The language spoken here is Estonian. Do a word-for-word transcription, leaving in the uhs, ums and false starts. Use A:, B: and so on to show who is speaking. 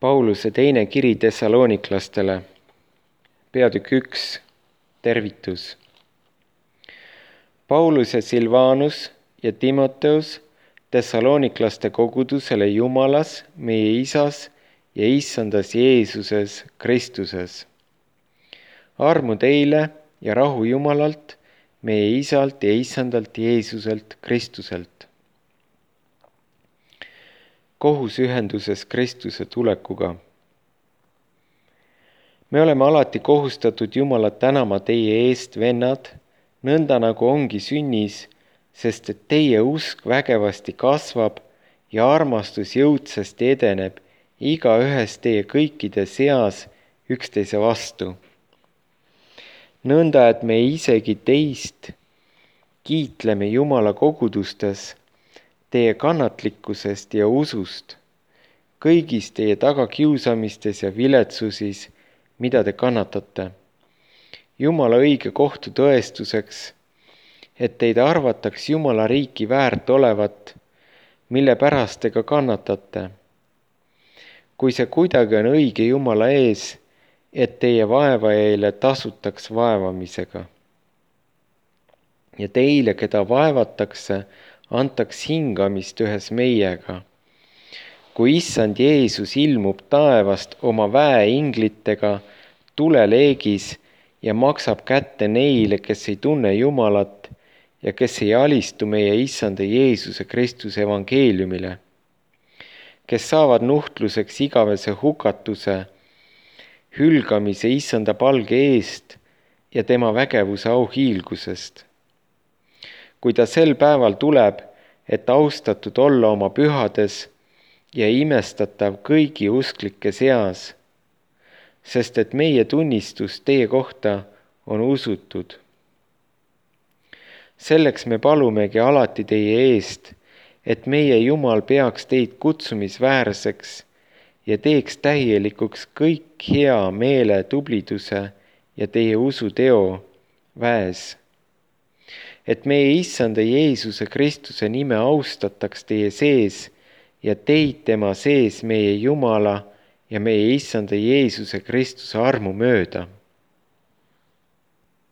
A: Pauluse teine kiri Thessaloniklastele, peatükk üks, tervitus. Paulus ja Silvanus ja Timoteus Thessaloniklaste kogudusele Jumalas, meie Isas ja Issandas Jeesuses Kristuses. Armu teile ja rahu Jumalalt, meie Isalt ja Issandalt Jeesuselt Kristuselt. Kohus ühenduses Kristuse tulekuga. Me oleme alati kohustatud Jumalat tänama teie eest, vennad, nõnda nagu ongi sünnis, sest et teie usk vägevasti kasvab ja armastus jõudsasti edeneb igaühes teie kõikide seas üksteise vastu. Nõnda, et me isegi teist kiitleme Jumala kogudustes teie kannatlikkusest ja usust, kõigis teie tagakiusamistes ja viletsusis, mida te kannatate. Jumala õige kohtu tõestuseks, et teid arvataks Jumala riiki väärt olevat, mille pärast te ka kannatate. Kui see kuidagi on õige Jumala ees, et teie vaevajaile tasutaks vaevamisega. Ja teile, keda vaevatakse, antaks hingamist ühes meiega. Kui Issand Jeesus ilmub taevast oma väeinglitega tuleleegis ja maksab kätte neile, kes ei tunne Jumalat ja kes ei alistu meie Issanda Jeesuse Kristuse evangeeliumile, kes saavad nuhtluseks igavese hukatuse, hülgamise Issanda palge eest ja tema vägevuse auhiilgusest. Kui ta sel päeval tuleb, et austatud olla oma pühades ja imestatav kõigi usklike seas, sest et meie tunnistus teie kohta on usutud. Selleks me palumegi alati teie eest, et meie Jumal peaks teid kutsumisväärseks ja teeks täielikuks kõik hea meele tubliduse ja teie usuteo väes. Et meie Issanda Jeesuse Kristuse nime austataks teie sees ja teid tema sees meie Jumala ja meie Issanda Jeesuse Kristuse armu mööda.